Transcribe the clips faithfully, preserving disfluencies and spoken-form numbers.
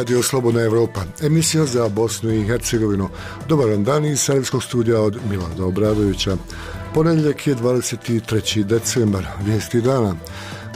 Radio Slobodna Evropa, emisija za Bosnu i Hercegovinu. Dobar vam dan iz Sarajevskog studija od Milana Obradovića. Ponedjeljak je dvadeset treći decembar, vijesti dana.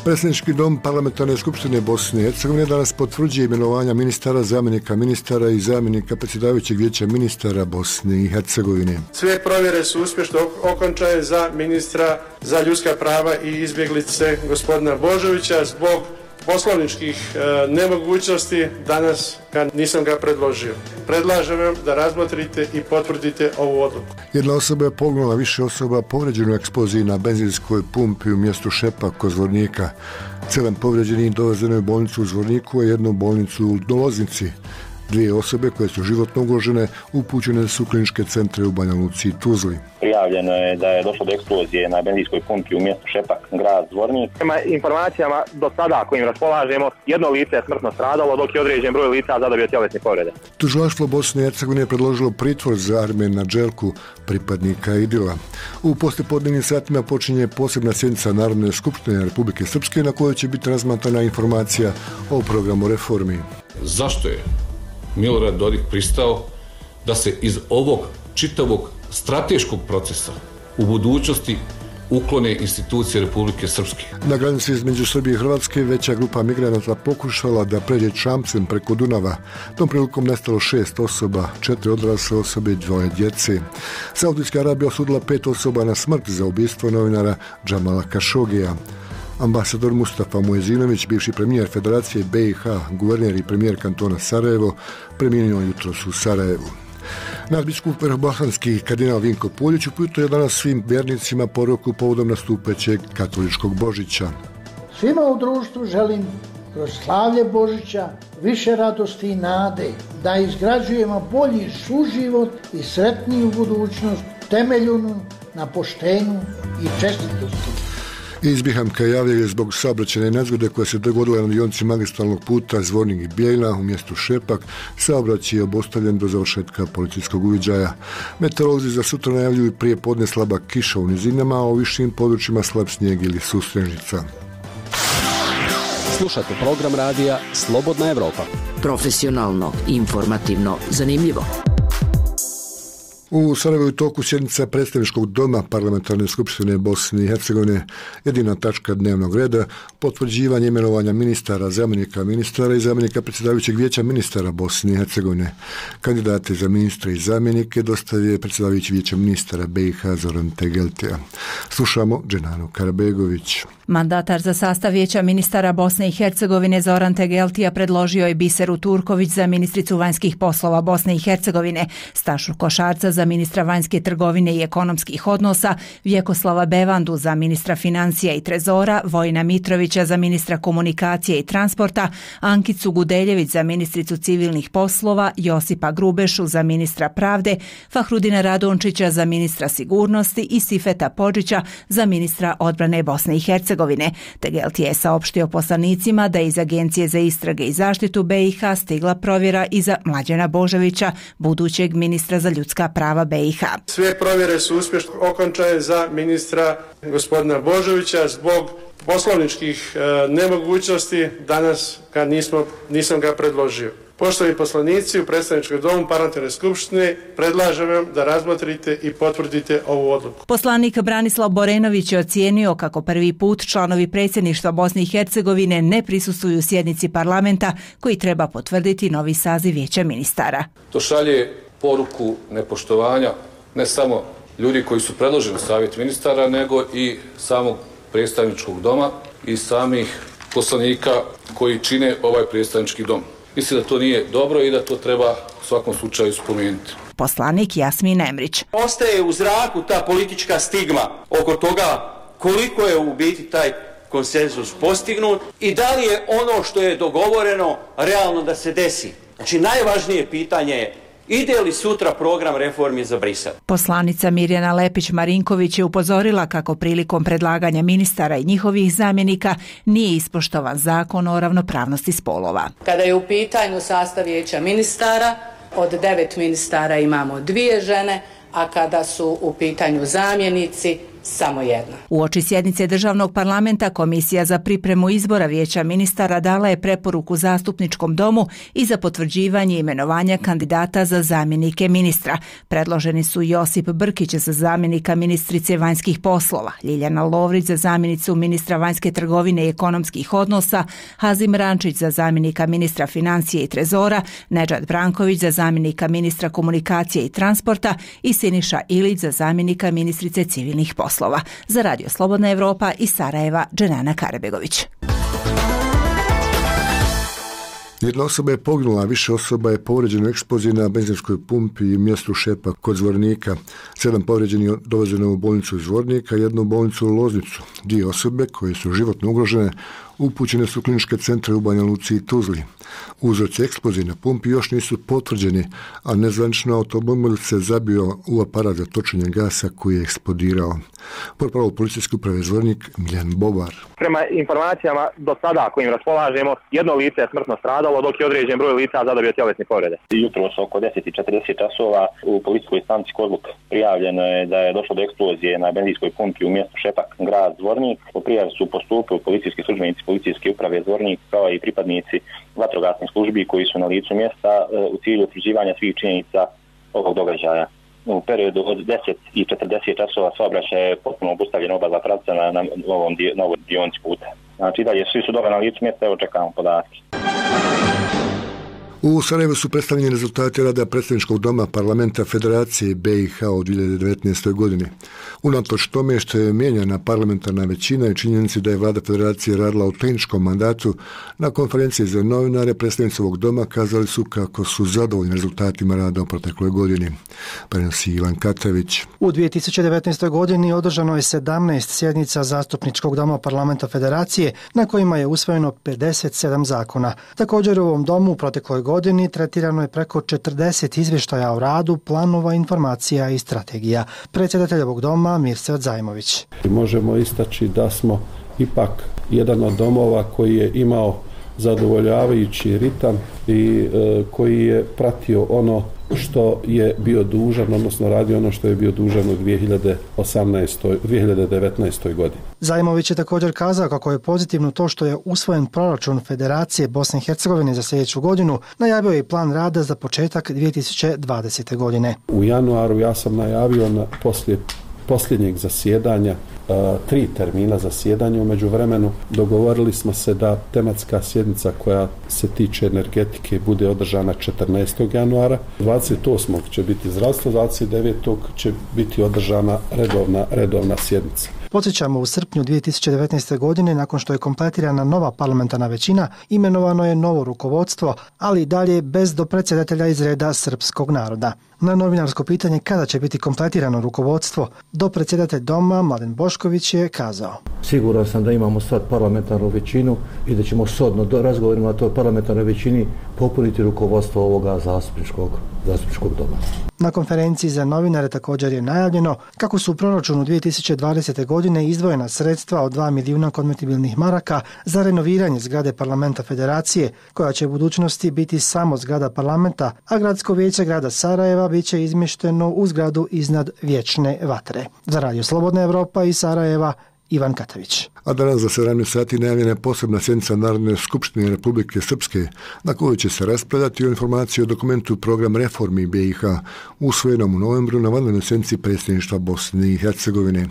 Predsjednički dom Parlamentarne skupštine Bosne i Hercegovine danas potvrđuje imenovanja ministara, zamjenika ministara i zamjenika predsjedavajućeg vijeća ministara Bosne i Hercegovine. Sve provjere su uspješno okončane za ministra za ljudska prava i izbjeglice gospodina Božovića. Zbog poslovničkih e, nemogućnosti danas ga, nisam ga predložio. Predlažem vam da razmotrite i potvrdite ovu odluku. Jedna osoba je poginula, više osoba povređeno u eksploziji na benzinskoj pumpi u mjestu Šepak kod Zvornika. Sedam povređenih dovezeno je u bolnicu u Zvorniku, a jednu bolnicu u Loznici. Dvije osobe koje su životno ugrožene upućene su u kliničke centre u Banja Luci i Tuzli. Prijavljeno je da je došlo do eksplozije na benzinskoj pumpi u mjestu Šepak, grad Zvornik. Prema informacijama do sada kojim raspolažemo, jedno lice je smrtno stradalo, dok je određen broj lica zadobio tjelesne povrede. Tužilaštvo Bosne i Hercegovine je predložilo pritvor za Armena Đelku, pripadnika Idila. U poslijepodnevnim satima počinje posebna sjednica Narodne skupštine Republike Srpske na kojoj će biti razmatrana informacija o programu reformi. Zašto je Milorad Dodik pristao da se iz ovog čitavog strateškog procesa u budućnosti uklone institucije Republike Srpske? Na granici između Srbije i Hrvatske veća grupa migranata pokušala da pređe čamcem preko Dunava. Tom prilikom nestalo šest osoba, četiri odrasle osobe i dvoje djece. Saudijska Arabija osudila pet osoba na smrt za ubistvo novinara Džamala Kašogija. Ambasador Mustafa Muezinović, bivši premijer Federacije B i H, guverner i premijer kantona Sarajevo, premijenio jutros u Sarajevu. Nadbiskup Bosanski kardinal Vinko Puljić uputio je danas svim vjernicima poruku povodom nastupećeg katoličkog Božića. Svima u društvu želim kroz slavlje Božića više radosti i nade, da izgrađujemo bolji suživot i sretniju budućnost temeljenu na poštenju i čestitosti. Iz Bihamka javljaju zbog saobraćajne nezgode koja se dogodila na dionici magistralnog puta Zvornik i Bijeljina u mjestu Šepak. Saobraćaj je obustavljen do završetka policijskog uviđaja. Meteorolozi za sutra najavljuju prije podne slaba kiša u nizinama, a u višim područjima slab snijeg ili susrežnica. Slušate program radija Slobodna Evropa. Profesionalno, informativno, zanimljivo. U Sarajevu je toku sjednica Predstavničkog doma Parlamentarne skupštine Bosne i Hercegovine. Jedina tačka dnevnog reda potvrđivanje imenovanja ministara, zamjenika ministara i zamjenika predsjedavajućeg vijeća ministara Bosne i Hercegovine. Kandidate za ministre i zamjenike dostavio je predsjedavajući vijeća ministara B i H Zoran Tegeltija. Slušamo Dženanu Karabegović. Mandatar za sastav vijeća ministara Bosne i Hercegovine Zoran Tegeltija predložio je Biseru Turković za ministricu vanjskih poslova Bosne i Hercegovine, Stašu Košarca za ministra vanjske trgovine i ekonomskih odnosa, Vjekoslava Bevandu za ministra financija i trezora, Vojina Mitrovića za ministra komunikacije i transporta, Ankicu Gudeljević za ministricu civilnih poslova, Josipa Grubešu za ministra pravde, Fahrudina Radončića za ministra sigurnosti i Sifeta Podžića za ministra odbrane Bosne i Hercegovine. Tegeltija je saopštio poslanicima da je iz Agencije za istrage i zaštitu B i H stigla provjera i za Mlađana Božovića, budućeg ministra za ljudska prava B i H. Sve provjere su uspješno okončane za ministra gospodina Božovića. Zbog poslovničkih e, nemogućnosti danas ga nismo, nisam ga predložio. Poštovani poslanici, u Predstavničkom domu Parlamentarne skupštine predlažem vam da razmotrite i potvrdite ovu odluku. Poslanik Branislav Borenović je ocijenio kako prvi put članovi predsjedništva Bosne i Hercegovine ne prisustvuju sjednici parlamenta koji treba potvrditi novi saziv vijeća ministara. To šalje poruku nepoštovanja ne samo ljudi koji su predloženi u savjet ministara, nego i samog predstavničkog doma i samih poslanika koji čine ovaj predstavnički dom. Mislim da to nije dobro i da to treba u svakom slučaju spomenuti. Poslanik Jasmin Emrić. Ostaje u zraku ta politička stigma oko toga koliko je u biti taj konsenzus postignut i da li je ono što je dogovoreno realno da se desi. Znači najvažnije pitanje je ide li sutra program reformi za Brisel? Poslanica Mirjana Lepić-Marinković je upozorila kako prilikom predlaganja ministara i njihovih zamjenika nije ispoštovan zakon o ravnopravnosti spolova. Kada je u pitanju sastav vijeća ministara, od devet ministara imamo dvije žene, a kada su u pitanju zamjenici, samo jedna. Uoči sjednice državnog parlamenta Komisija za pripremu izbora Vijeća ministara dala je preporuku zastupničkom domu i za potvrđivanje imenovanja kandidata za zamjenike ministra. Predloženi su Josip Brkić za zamjenika ministrice vanjskih poslova, Ljiljana Lovrić za zamjenicu ministra vanjske trgovine i ekonomskih odnosa, Hazim Rančić za zamjenika ministra financije i trezora, Nedžad Branković za zamjenika ministra komunikacije i transporta i Siniša Ilić za zamjenika ministrice civilnih poslova. Za Radio Slobodna Evropa iz Sarajeva, Dženana Karabegović. Jedna osoba je poginula, a više osoba je povrijeđeno u eksploziji na benzinskoj pumpi i mjestu Šepa kod Zvornika. Sedam povrijeđenih dovezeno u bolnicu iz Zvornika, jednu u bolnicu u Loznicu. Dvije osobe koje su životno ugrožene upućene su u kliničke centre u Banja Luci i Tuzli. Uzroci eksplozije na pumpi još nisu potvrđeni, a nezvanično automobil se zabio u aparat za točenje gasa koji je eksplodirao. Portparol policijske uprave Zvornik Miljan Bobar. Prema informacijama do sada kojim raspolažemo, jedno lice je smrtno stradalo, dok je određen broj lica zadobio tjelesne povrede. Jutros oko deset i četrdeset časova u policijskoj stanici Kozluk prijavljeno je da je došlo do eksplozije na benzinskoj pumpi u mjestu Šepak, grad Zvornik. Po prijavi su postupili policijski službenici policijske uprave Zvornik kao i pripadnici vatrogasnih službi koji su na licu mjesta u cilju utvrđivanja svih činjenica ovog događaja. U periodu od deset i četrdeset časova saobraćaj je potpuno obustavljen oba dva pravca na, na, ovom dio, na ovoj dionici puta. Znači dalje svi su dobro na licu mjesta, evo čekamo podatke. U Sarajevu su predstavljeni rezultati rada Predstavničkog doma Parlamenta Federacije B i H u dvije hiljade devetnaestoj. godini. Unatoč tome što je mijenjana parlamentarna većina i činjenici da je vlada Federacije radila u tehničkom mandatu, na konferenciji za novinare predstavnici ovog doma kazali su kako su zadovoljni rezultatima rada u protekloj godini. Prenosi Ivan Katavić. U dvije tisuće devetnaestoj. godini održano je sedamnaest sjednica Zastupničkog doma Parlamenta Federacije na kojima je usvojeno pedeset sedam zakona. Također u ovom domu u protekloj godini godini tretirano je preko četrdeset izvještaja o radu, planova, informacija i strategija. Predsjedatelj ovog doma Mirsad Zajmović. Možemo istaći da smo ipak jedan od domova koji je imao zadovoljavajući ritam i e, koji je pratio ono što je bio dužan, odnosno radio ono što je bio dužan u dvije hiljade osamnaestoj. dvije hiljade devetnaestoj. godini. Zajmović je također kazao kako je pozitivno to što je usvojen proračun Federacije Bosne i Hercegovine za sljedeću godinu, najavio je i plan rada za početak dvije tisuće dvadesete. godine. U januaru ja sam najavio na poslije posljednjeg zasjedanja tri termina zasjedanja. U međuvremenu dogovorili smo se da tematska sjednica koja se tiče energetike bude održana četrnaestog januara, dvadeset osmog će biti zdravstvo, dvadeset devetog će biti održana redovna, redovna sjednica. Podsjećamo, u srpnju dvije tisuće devetnaeste. godine, nakon što je kompletirana nova parlamentarna većina, imenovano je novo rukovodstvo, ali i dalje bez dopredsjedatelja iz reda srpskog naroda. Na novinarsko pitanje kada će biti kompletirano rukovodstvo, dopredsjedatelj doma Mladen Bošković je kazao: Siguran sam da imamo sad parlamentarnu većinu i da ćemo shodno do razgovorima na toj parlamentarnoj većini popuniti rukovodstvo ovoga zastupničkog, zastupničkog doma. Na konferenciji za novinare također je najavljeno kako su u proračunu dvije tisuće dvadesete. godine izdvojena sredstva od dva milijuna konvertibilnih maraka za renoviranje zgrade Parlamenta Federacije, koja će u budućnosti biti samo zgrada parlamenta, a gradsko vijeće grada Sarajeva bit će izmješteno u zgradu iznad Vječne vatre. Za Radio Slobodna Evropa iz Sarajeva, Ivan Katavić. A danas za sedamnaest sati najavljena je posebna sjednica Narodne skupštine Republike Srpske, na kojoj će se raspravljati o informaciji o dokumentu Program reformi B i H, usvojenom u novembru na vanrednoj sjednici predsjedništva Bosne i Hercegovine.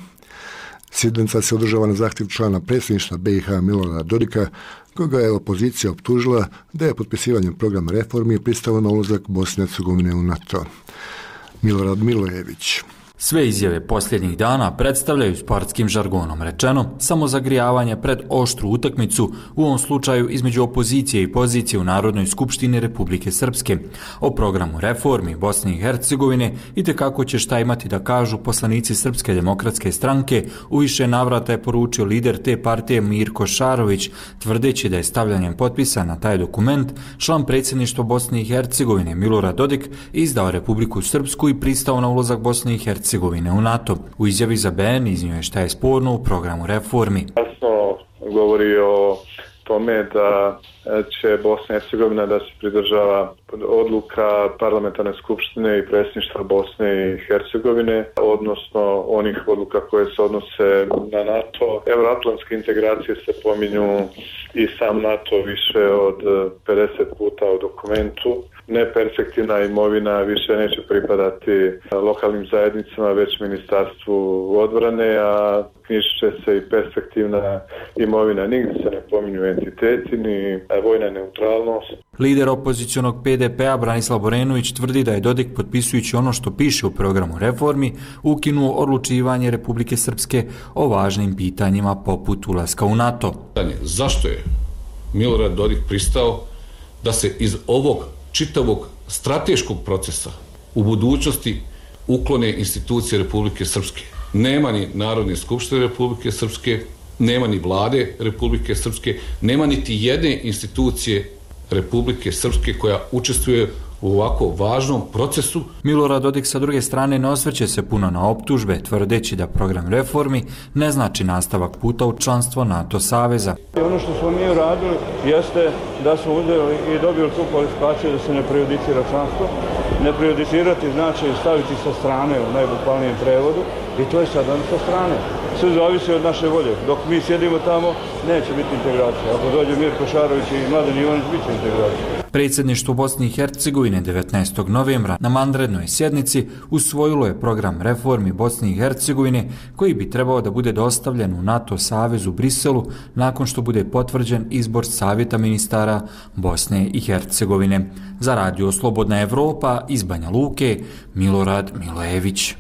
Sjednica se održava na zahtjev člana predsjedništva B i H Milorada Dodika, koga je opozicija optužila da je potpisivanjem programa reformi pristalo na ulazak Bosne i Hercegovine u NATO. Milorad Milojević. Sve izjave posljednjih dana predstavljaju sportskim žargonom rečeno samozagrijavanje pred oštru utakmicu, u ovom slučaju između opozicije i pozicije u Narodnoj skupštini Republike Srpske. O programu reformi Bosne i Hercegovine i te kako će šta imati da kažu poslanici Srpske demokratske stranke, u više navrata je poručio lider te partije Mirko Šarović, tvrdeći da je stavljanjem potpisa na taj dokument član predsjedništva Bosne i Hercegovine Milorad Dodik izdao Republiku Srpsku i pristao na ulazak Bosne i Hercegovine u NATO. U izjavi za B N iznio je šta je sporno u programu reformi. Jasno govori o tome da će Bosna i Hercegovina da se pridržava odluka Parlamentarne skupštine i predsjedništva Bosne i Hercegovine, odnosno onih odluka koje se odnose na NATO. Euroatlantske integracije se pominju i sam NATO više od pedeset puta u dokumentu. Neperspektivna imovina više neće pripadati lokalnim zajednicama, već Ministarstvu odbrane, a knjižit će se i perspektivna imovina. Nigdje se ne pominju entiteti ni vojna neutralnost. Lider opozicionog P D P-a Branislav Borenović tvrdi da je Dodik, potpisujući ono što piše u programu reformi, ukinuo odlučivanje Republike Srpske o važnim pitanjima poput ulaska u NATO. Zašto je Milorad Dodik pristao da se iz ovog čitavog strateškog procesa u budućnosti uklone institucije Republike Srpske? Nema ni Narodne skupštine Republike Srpske, nema ni vlade Republike Srpske, nema niti jedne institucije Republike Srpske koja učestvuje u ovako važnom procesu. Milorad Dodik sa druge strane ne osvrće se puno na optužbe, tvrdeći da program reformi ne znači nastavak puta u članstvo NATO saveza. Ono što smo mi uradili jeste da smo uzeli i dobili tu kvalifikaciju da se ne prejudicira članstvo. Ne prejudicirati znači staviti sa strane u najbukvalnijem prevodu i to je sada sa strane. Sve zavisi od naše volje. Dok mi sjedimo tamo, neće biti integracija. Ako dođe Mirko Šarović i Mladen Ivanić, bit će integracija. Predsjedništvo Bosne i Hercegovine devetnaestog novembra na vanrednoj sjednici usvojilo je program reformi Bosne i Hercegovine koji bi trebao da bude dostavljen u NATO savez u Briselu nakon što bude potvrđen izbor Savjeta ministara Bosne i Hercegovine. Za Radio Slobodna Evropa iz Banja Luke, Milorad Milojević.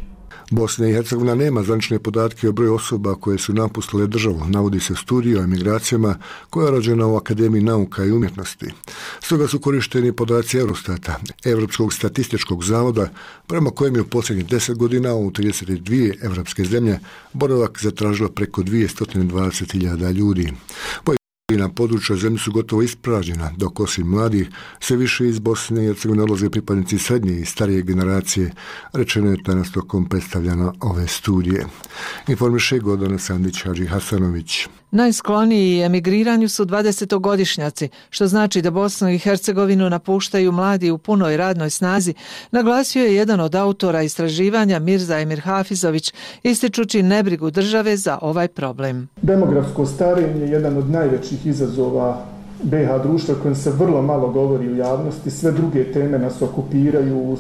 Bosna i Hercegovina nema zvanične podatke o broju osoba koje su napustile državu, navodi se u studiju o emigracijama koja je rođena u Akademiji nauka i umjetnosti. Stoga su korišteni podaci Eurostata, Evropskog statističkog zavoda, prema kojem je u posljednjih deset godina u trideset dvije evropske zemlje boravak zatražilo preko dvjesto dvadeset hiljada ljudi. Na području zemlje su gotovo ispražnjena, dok osim mladih sve više iz Bosne i Hercegovine odlaze pripadnici srednje i starije generacije, rečeno je danas tokom predstavljanja ove studije. Informiše Gordana Sandić Hadži Hasanović. Najskloniji emigriranju su dvadesetogodišnjaci, što znači da Bosnu i Hercegovinu napuštaju mladi u punoj radnoj snazi, naglasio je jedan od autora istraživanja Mirza Emir Hafizović, ističući nebrigu države za ovaj problem. Demografsko starenje je jedan od najvećih izazova B iH društva kojem se vrlo malo govori u javnosti, sve druge teme nas okupiraju,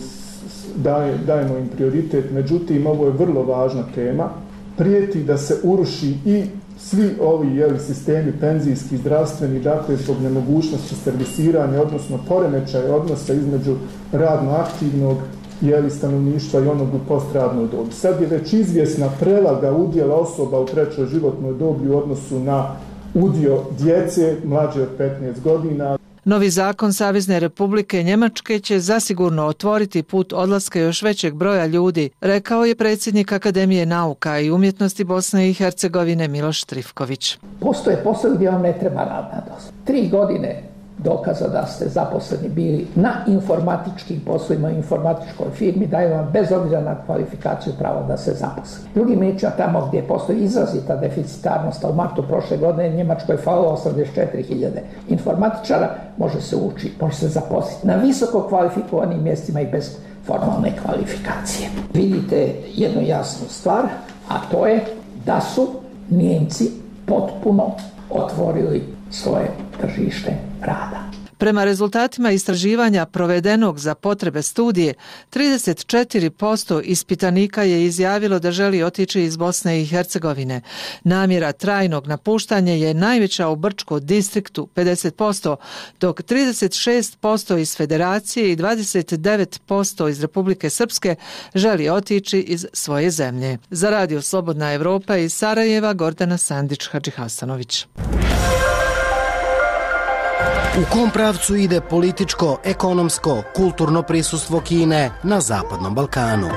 daje, dajemo im prioritet, međutim ovo je vrlo važna tema, prijeti da se uruši i svi ovi jeli, sistemi penzijski, zdravstveni, dakle zbog nemogućnosti servisiranja, odnosno poremećaja odnosa između radno aktivnog jeli, stanovništva i onog u postradnoj dobi. Sad je već izvjesna prelaga udjela osoba u trećoj životnoj dobi u odnosu na udio djece mlađe od petnaest godina. Novi zakon Savezne Republike Njemačke će zasigurno otvoriti put odlaska još većeg broja ljudi, rekao je predsjednik Akademije nauka i umjetnosti Bosne i Hercegovine Miloš Trifković. Postoje poslovi gdje vam ne treba radna dozvola. Tri godine dokaza da ste zaposleni bili na informatičkim poslovima, informatičkoj firmi, daju vam bez obzira na kvalifikaciju pravo da se zaposli. Drugim riječima, tamo gdje postoji izrazita deficitarnost, a u martu prošle godine Njemačkoj falilo osamdeset četiri hiljade informatičara, može se ući, može se zaposliti na visoko kvalifikovanim mjestima i bez formalne kvalifikacije. Vidite jednu jasnu stvar, a to je da su Njemci potpuno otvorili svoje tržište rada. Prema rezultatima istraživanja provedenog za potrebe studije, trideset četiri posto ispitanika je izjavilo da želi otići iz Bosne i Hercegovine. Namjera trajnog napuštanja je najveća u Brčkom distriktu pedeset posto, dok trideset šest posto iz Federacije i dvadeset devet posto iz Republike Srpske želi otići iz svoje zemlje. Za Radio Slobodna Evropa iz Sarajeva, Gordana Sandić Hadži Hasanović. U kom pravcu ide političko, ekonomsko, kulturno prisustvo Kine na Zapadnom Balkanu?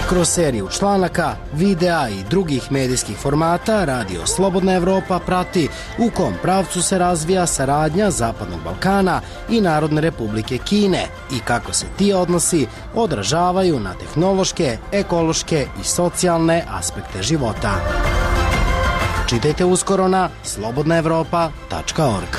Kroz seriju članaka, videa i drugih medijskih formata Radio Slobodna Evropa prati u kom pravcu se razvija saradnja Zapadnog Balkana i Narodne Republike Kine i kako se ti odnosi odražavaju na tehnološke, ekološke i socijalne aspekte života. Čitajte uskoro na slobodna evropa tačka org.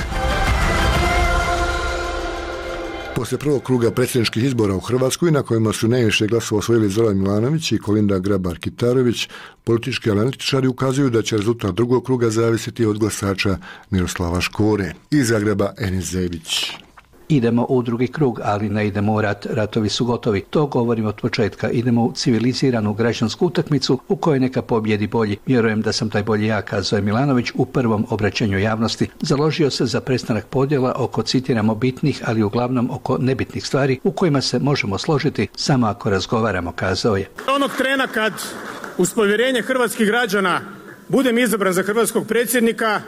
Poslije prvog kruga predsjedničkih izbora u Hrvatskoj, na kojima su najviše glasova osvojili Zoran Milanović i Kolinda Grabar-Kitarović, politički analitičari ukazuju da će rezultat drugog kruga zavisiti od glasača Miroslava Škore. Iz Zagreba, Enis Zebić. Idemo u drugi krug, ali ne idemo u rat, ratovi su gotovi. To govorim od početka. Idemo u civiliziranu građansku utakmicu u kojoj neka pobjedi bolji. Vjerujem da sam taj bolji ja, kazao je Milanović u prvom obraćanju javnosti. Založio se za prestanak podjela oko, citiramo, bitnih, ali uglavnom oko nebitnih stvari u kojima se možemo složiti samo ako razgovaramo, kazao je. Onog trena kad uz povjerenje hrvatskih građana budem izabran za hrvatskog predsjednika,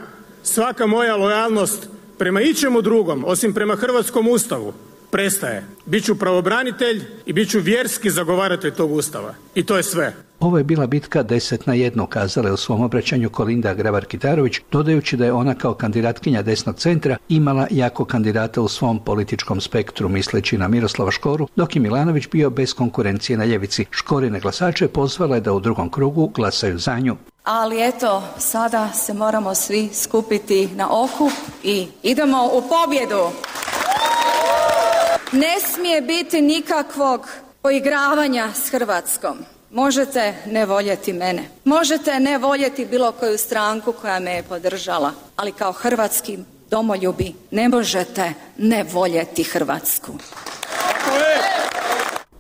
svaka moja lojalnost prema ičemu drugom, osim prema hrvatskom ustavu, prestaje. Biću pravobranitelj i bit ću vjerski zagovaratelj tog ustava. I to je sve. Ovo je bila bitka deset na jedno, kazala je u svom obraćanju Kolinda Grabar-Kitarović, dodajući da je ona kao kandidatkinja desnog centra imala jako kandidata u svom političkom spektru, misleći na Miroslava Škoru, dok je Milanović bio bez konkurencije na ljevici. Škorine glasače pozvala je da u drugom krugu glasaju za nju. Ali eto, sada se moramo svi skupiti na okup i idemo u pobjedu. Ne smije biti nikakvog poigravanja s Hrvatskom. Možete ne voljeti mene. Možete ne voljeti bilo koju stranku koja me je podržala. Ali kao hrvatski domoljubi ne možete ne voljeti Hrvatsku.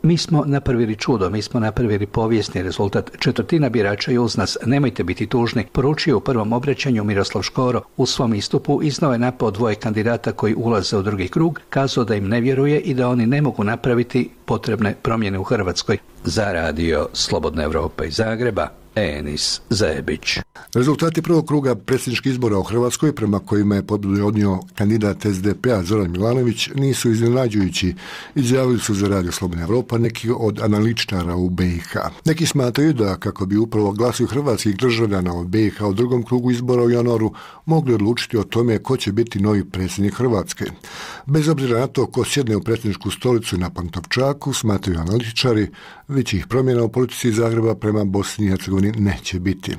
Mi smo napravili čudo, mi smo napravili povijesni rezultat. Četvrtina birača je uz nas, nemojte biti tužni, poručio u prvom obraćanju Miroslav Škoro. U svom istupu iznao je napao dvoje kandidata koji ulaze u drugi krug, kazao da im ne vjeruje i da oni ne mogu napraviti potrebne promjene u Hrvatskoj. Za radio Slobodna Evropa iz Zagreba, Enis Zebić. Rezultati prvog kruga predsjedničkih izbora u Hrvatskoj, prema kojima je pobjedu odnio kandidat S D P-a Zoran Milanović, nisu iznenađujući, izjavili su za radio Slobodna Evropa neki od analitičara u B i H. Neki smatraju da kako bi upravo glasuju hrvatskih državljana od B i H u drugom krugu izbora u januaru mogli odlučiti o tome ko će biti novi predsjednik Hrvatske. Bez obzira na to ko sjedne u predsjedničku stolicu na Pantovčaku, smatraju analitičari, većih promjena u politici Zagreba prema Bosni i Hercegovini neće biti.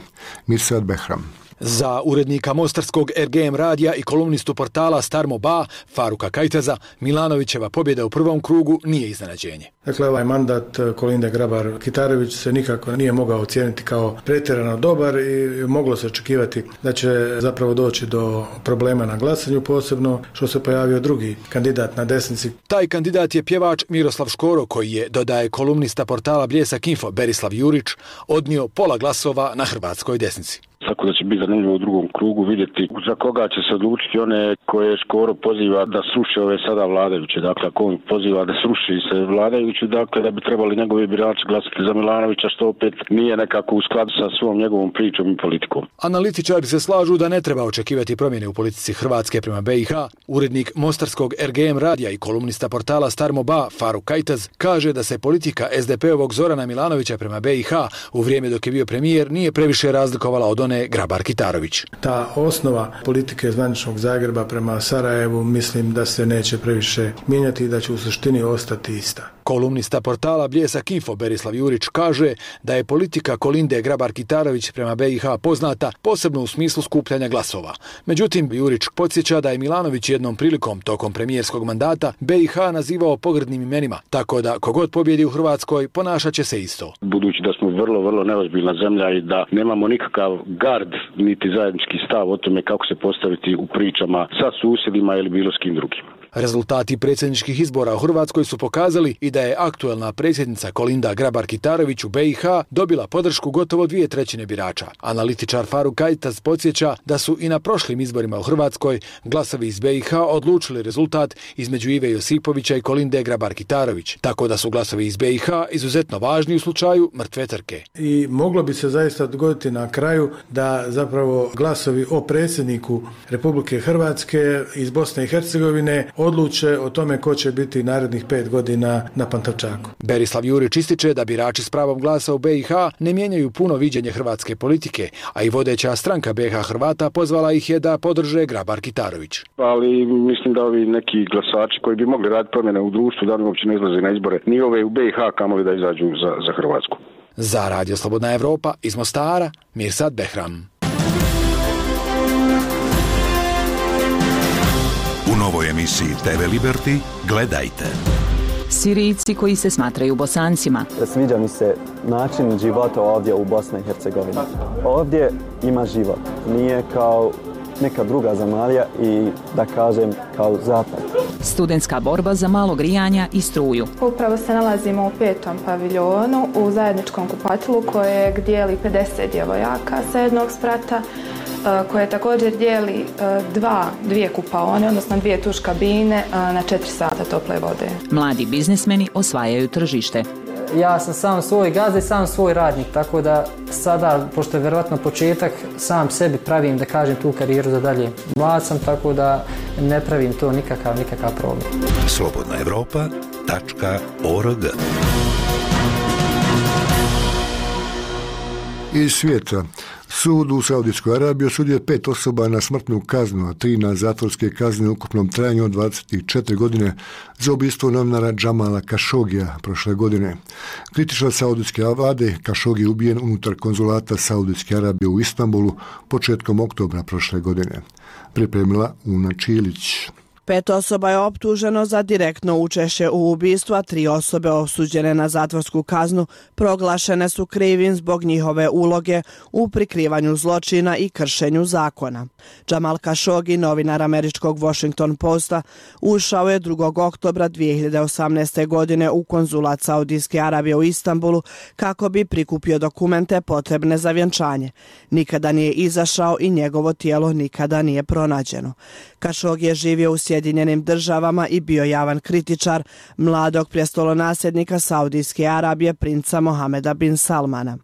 Mirsad Behram. Za urednika mostarskog R G M radija i kolumnistu portala Starmo Ba, Faruka Kajtaza, Milanovićeva pobjeda u prvom krugu nije iznenađenje. Dakle, ovaj mandat Kolinde Grabar-Kitarović se nikako nije mogao ocijeniti kao pretjerano dobar i moglo se očekivati da će zapravo doći do problema na glasanju, posebno što se pojavio drugi kandidat na desnici. Taj kandidat je pjevač Miroslav Škoro, koji je, dodaje kolumnista portala Bljesak Info Berislav Jurić, odnio pola glasova na hrvatskoj desnici. Tako da će biti zanimljivo u drugom krugu vidjeti za koga će se odlučiti one koje Škoro poziva da sruše ove sada vladajuće. Dakle, ako on poziva da sruši se vladajući, dakle da bi trebali njegovi birači glasati za Milanovića, što opet nije nekako u skladu sa svom njegovom pričom i politikom. Analitičari se slažu da ne treba očekivati promjene u politici Hrvatske prema B i H. Urednik mostarskog R G M radija i kolumnista portala Starmo Ba, Faruk Kajtaz, kaže da se politika S D P-ovog Zorana Milanovića prema B i H u vrijeme dok je bio premijer nije previše razlikovala od one Grabar-Kitarović. Ta osnova politike zvaničnog Zagreba prema Sarajevu mislim da se neće previše mijenjati i da će u suštini ostati ista. Kolumnista portala Bljesak Info Berislav Jurić kaže da je politika Kolinde Grabar-Kitarović prema B i H poznata posebno u smislu skupljanja glasova. Međutim, Jurić podsjeća da je Milanović jednom prilikom tokom premijerskog mandata B i H nazivao pogrdnim imenima, tako da kogod pobjedi u Hrvatskoj ponašat će se isto. Budući da smo vrlo, vrlo neozbiljna zemlja i da nemamo nikakav gard niti zajednički stav o tome kako se postaviti u pričama sa susjedima ili bilo s kim drugim. Rezultati predsjedničkih izbora u Hrvatskoj su pokazali i da je aktuelna predsjednica Kolinda Grabar-Kitarović u B i H dobila podršku gotovo dvije trećine birača. Analitičar Faruk Kajtaz podsjeća da su i na prošlim izborima u Hrvatskoj glasovi iz B i H odlučili rezultat između Ive Josipovića i Kolinde Grabar-Kitarović, tako da su glasovi iz B i H izuzetno važni u slučaju mrtve trke. I moglo bi se zaista dogoditi na kraju da zapravo glasovi o predsjedniku Republike Hrvatske iz Bosne i Hercegovine odluče o tome ko će biti narednih pet godina na Pantovčaku. Berislav Jurić ističe da birači s pravom glasa u B i H ne mijenjaju puno viđenje hrvatske politike, a i vodeća stranka B i H Hrvata pozvala ih je da podrže Grabar-Kitarović. Ali mislim da ovi neki glasači koji bi mogli raditi promjene u društvu, da oni uopće ne izlaze na izbore, ni ove u B i H kamoli da izađu za, za Hrvatsku. Za radio Slobodna Evropa iz Mostara, Mirsad Behram. U novoj emisiji te ve Liberty gledajte. Sirijci koji se smatraju Bosancima. Sviđa mi se način života ovdje u Bosni i Hercegovini. Ovdje ima život. Nije kao neka druga zemalja i da kažem kao zapad. Studentska borba za malo grijanja i struju. Upravo se nalazimo u petom paviljonu u zajedničkom kupatilu kojeg dijeli pedeset djevojaka sa jednog sprata, koje također dijeli dva, dvije kupaone, odnosno dvije tuš kabine na četiri sata tople vode. Mladi biznismeni osvajaju tržište. Ja sam sam svoj gazda i sam svoj radnik, tako da sada, pošto je vjerojatno početak, sam sebi pravim, da kažem, tu karijeru za dalje. Mlad sam, tako da ne pravim to nikakav, nikakav problem. slobodna evropa tačka org Iz svijeta. Sud u Saudijskoj Arabiji osudio je pet osoba na smrtnu kaznu, a tri na zatvorske kazne u ukupnom trajanju od dvadeset četiri godine za ubistvo novinara Džamala Kašogija prošle godine. Kritičar saudijske vlade Kašogi je ubijen unutar konzulata Saudijske Arabije u Istanbulu početkom oktobra prošle godine. Pripremila Una Čilić. Pet osoba je optuženo za direktno učešće u ubistvu, a tri osobe osuđene na zatvorsku kaznu proglašene su krivim zbog njihove uloge u prikrivanju zločina i kršenju zakona. Džamal Kašogi, novinar američkog Washington Posta, ušao je drugog oktobra dvije hiljade osamnaeste. godine u konzulat Saudijske Arabije u Istanbulu kako bi prikupio dokumente potrebne za vjenčanje. Nikada nije izašao i njegovo tijelo nikada nije pronađeno. Kašogi je živio u Sjedinjenim državama i bio javan kritičar mladog prestolonasljednika Saudijske Arabije, princa Mohameda bin Salmana.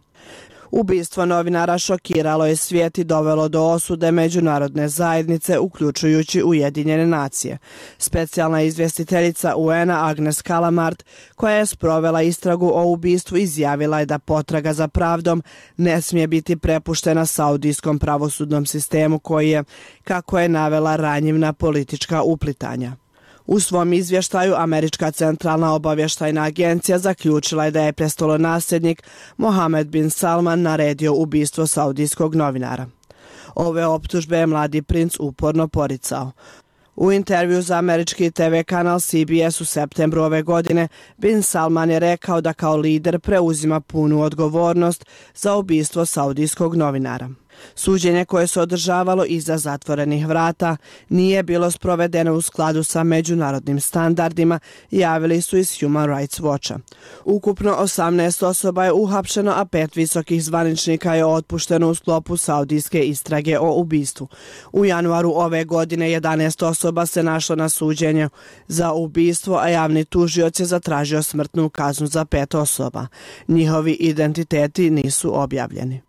Ubistvo novinara šokiralo je svijet i dovelo do osude međunarodne zajednice, uključujući Ujedinjene nacije. Specijalna izvjestiteljica U N A Agnes Kalamart, koja je sprovela istragu o ubistvu, izjavila je da potraga za pravdom ne smije biti prepuštena saudijskom pravosudnom sistemu koji je, kako je navela, ranjiv na politička uplitanja. U svom izvještaju Američka centralna obavještajna agencija zaključila je da je prestolonasljednik Mohamed bin Salman naredio ubistvo saudijskog novinara. Ove optužbe je mladi princ uporno poricao. U intervju za američki te ve kanal C B S u septembru ove godine, bin Salman je rekao da kao lider preuzima punu odgovornost za ubistvo saudijskog novinara. Suđenje koje se održavalo iza zatvorenih vrata nije bilo sprovedeno u skladu sa međunarodnim standardima, javili su iz Human Rights Watcha. Ukupno osamnaest osoba je uhapšeno, a pet visokih zvaničnika je otpušteno u sklopu saudijske istrage o ubistvu. U januaru ove godine jedanaest osoba se našlo na suđenju za ubistvo, a javni tužioc je zatražio smrtnu kaznu za pet osoba. Njihovi identiteti nisu objavljeni.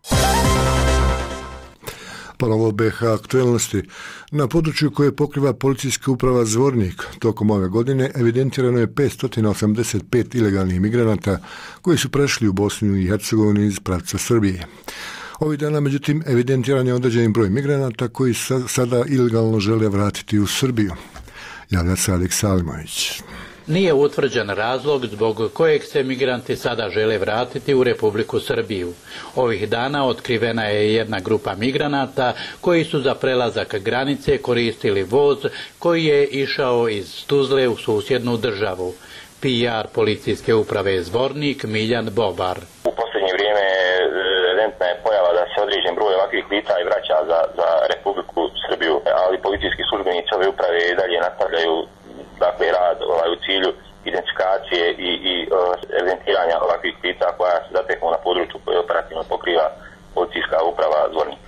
Ponovo B H aktuelnosti. Na području koje pokriva policijska uprava Zvornik tokom ove godine evidentirano je petsto osamdeset pet ilegalnih migranata koji su prešli u Bosnu i Hercegovinu iz pravca Srbije. Ovih dana, međutim, evidentiran je određen broj migranata koji sada ilegalno žele vratiti u Srbiju. Javlja se Aleks Salimović. Nije utvrđen razlog zbog kojeg se migranti sada žele vratiti u Republiku Srbiju. Ovih dana otkrivena je jedna grupa migranata koji su za prelazak granice koristili voz koji je išao iz Tuzle u susjednu državu. P R policijske uprave Zvornik Miljan Bobar. U posljednje vrijeme evidentna je pojava da se određen broj ovakvih lica i vraća za, za Republiku Srbiju, ali policijski službenici ove uprave i dalje nastavljaju dakle rad ovaj, u cilju identifikacije i, i uh, evidentiranja ovakvih lica koja se zateknu na području koje operativno pokriva policijska uprava Zvornik.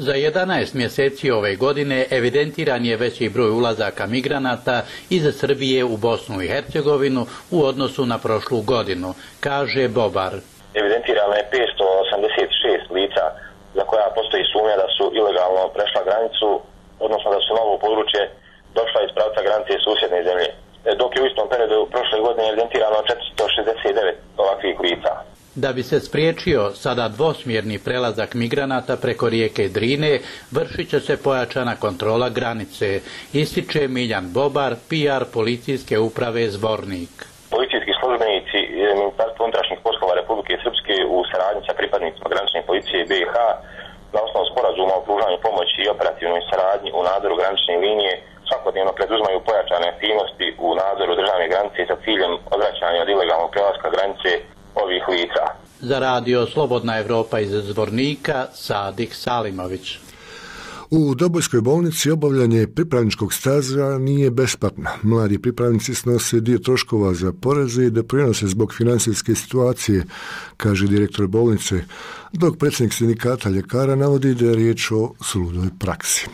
Za jedanaest mjeseci ove godine evidentiran je veći broj ulazaka migranata iz Srbije u Bosnu i Hercegovinu u odnosu na prošlu godinu, kaže Bobar. Evidentirano je petsto osamdeset šest lica za koja postoji sumnja da su ilegalno prešla granicu, odnosno da su na ovo područje došla iz pravca granice susjedne zemlje, dok je u istom periodu prošle godine evidentirano četiristo šezdeset devet ovakvih lica. Da bi se spriječio sada dvosmjerni prelazak migranata preko rijeke Drine, vršit će se pojačana kontrola granice, ističe Miljan Bobar, P R policijske uprave Zvornik. Policijski službenici Ministarstva unutrašnjih poslova Republike Srpske u saradnji sa pripadnicima granične policije B iH na osnovu sporazuma o pružanju pomoći i operativnoj saradnji u nadzoru granične linije svakodnevno preduzmaju pojačane aktivnosti u nadzoru državne granice sa ciljem odvraćanja od ilegalnog prelaska granice ovih lica. Za radio Slobodna Evropa iz Zvornika, Sadik Salimović. U Dobojskoj bolnici obavljanje pripravničkog staža nije besplatno. Mladi pripravnici snose dio troškova za poreze i doprinose zbog financijske situacije, kaže direktor bolnice, dok predsjednik sindikata ljekara navodi da je riječ o suludoj praksi.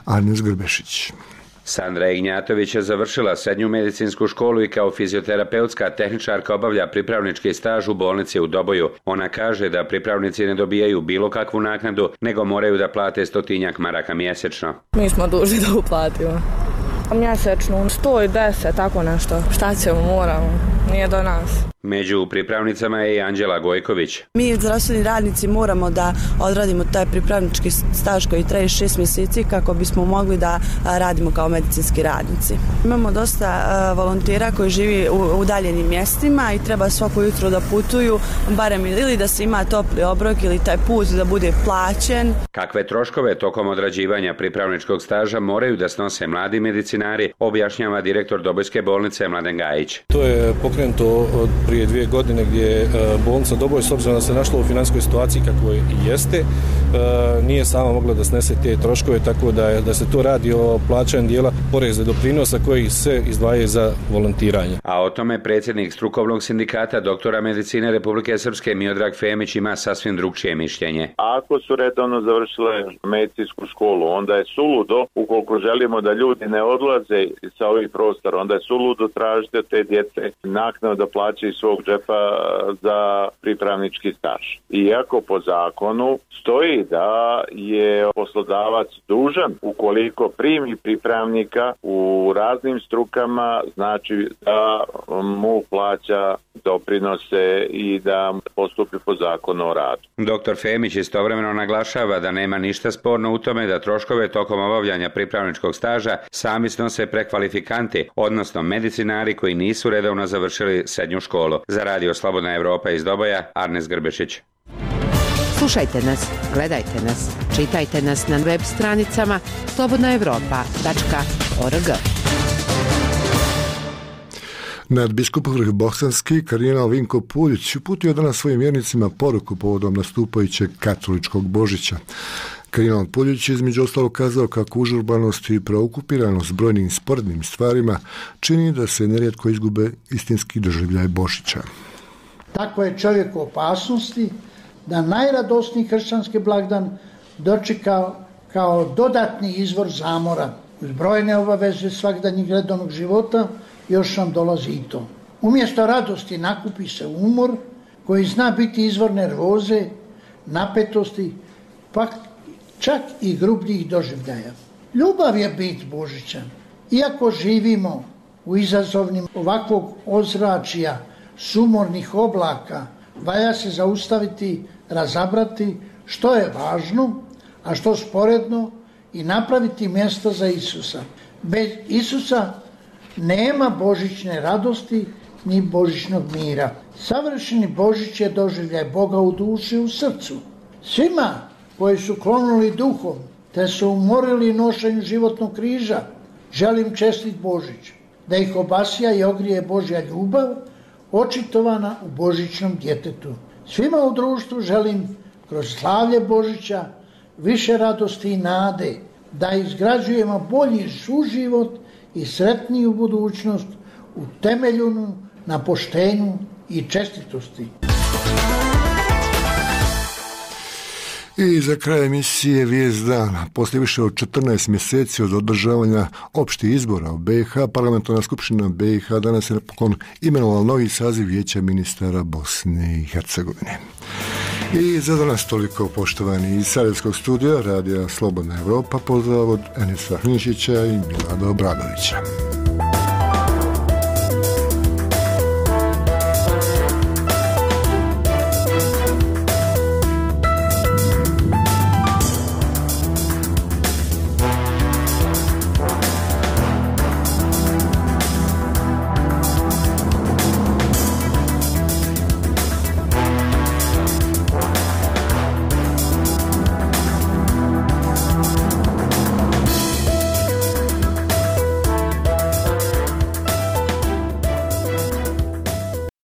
Arnes Grbešić. Sandra Ignjatović je završila srednju medicinsku školu i kao fizioterapeutska tehničarka obavlja pripravnički staž u bolnici u Doboju. Ona kaže da pripravnici ne dobijaju bilo kakvu naknadu, nego moraju da plate stotinjak maraka mjesečno. Mi smo dužni da uplatimo. Mjesečno sto deset, tako nešto. Šta ćemo, moramo. Nije do nas. Među pripravnicama je i Anđela Gojković. Mi zdravstveni radnici moramo da odradimo taj pripravnički staž koji traje šest mjeseci kako bismo mogli da radimo kao medicinski radnici. Imamo dosta volontera koji živi u udaljenim mjestima i treba svako jutro da putuju, barem ili da se ima topli obrok ili taj put da bude plaćen. Kakve troškove tokom odrađivanja pripravničkog staža moraju da snose mladi medicinari, objašnjava direktor Dobojske bolnice Mladen Gajić. To je pokrenuto od prije dvije godine gdje je bolnica Doboj, s obzirom da se našla u financijskoj situaciji kako i jeste, nije sama mogla da snese te troškove, tako da, je, da se to radi o plaćanju dijela poreza doprinosa koji se izdvajaju za volontiranje. A o tome predsjednik strukovnog sindikata doktora medicine Republike Srpske Miodrag Femić ima sasvim drugčije mišljenje. Ako su redovno završile medicinsku školu, onda je suludo, ukoliko želimo da ljudi ne odlaze sa ovih prostora, onda je suludo tražiti od te djece naknadu da plaćaju svog džepa za pripravnički staž. Iako po zakonu stoji da je poslodavac dužan, ukoliko primi pripravnika u raznim strukama, znači da mu plaća doprinose i da postupi po zakonu o radu. Doktor Femić istovremeno naglašava da nema ništa sporno u tome da troškove tokom obavljanja pripravničkog staža sami snose prekvalifikanti, odnosno medicinari koji nisu redovno završili srednju školu. Za radio Slobodna Evropa iz Doboja, Arnes Grbešić. Slušajte nas, gledajte nas, čitajte nas na web stranicama slobodna evropa tačka org. Nadbiskup Bosanski kardinal Vinko Puljić uputio danas svojim vjernicima poruku povodom nastupajućeg katoličkog Božića. Kardinal Puljić je između ostalog kazao kako užurbanost i preokupiranost brojnim sporednim stvarima čini da se nerijetko izgube istinski doživljaj Božića. Tako je čovjek u opasnosti da najradosniji kršćanski blagdan dočeka kao dodatni izvor zamora. Uz brojne obaveze svakdanjeg redovnog života još nam dolazi i to. Umjesto radosti nakupi se umor koji zna biti izvor nervoze, napetosti, pa čak i grubljih doživljaja. Ljubav je bit Božića. Iako živimo u izazovnim ovakvog ozračja, sumornih oblaka, valja se zaustaviti, razabrati što je važno, a što sporedno i napraviti mjesto za Isusa. Bez Isusa nema božićne radosti ni božićnog mira. Savršeni Božić je doživljaj Boga u duši i u srcu. Svima koji su klonuli duhom, te su umorili nošenju životnog križa, želim čestit Božić, da ih obasja i ogrije Božja ljubav, očitovana u božićnom djetetu. Svima u društvu želim kroz slavlje Božića više radosti i nade, da izgrađujemo bolji suživot i sretniju budućnost utemeljenu na poštenju i čestitosti. I za kraj emisije Vijest dana. Poslije više od četrnaest mjeseci od održavanja opštih izbora u B i H, Parlamentarna skupština B i H danas je napokon imenovala novi saziv Vijeća ministara Bosne i Hercegovine. I za danas toliko, poštovani iz Sarajevskog studija Radija Slobodna Evropa, pozdrav od Enisa Hnišića i Milada Obradovića.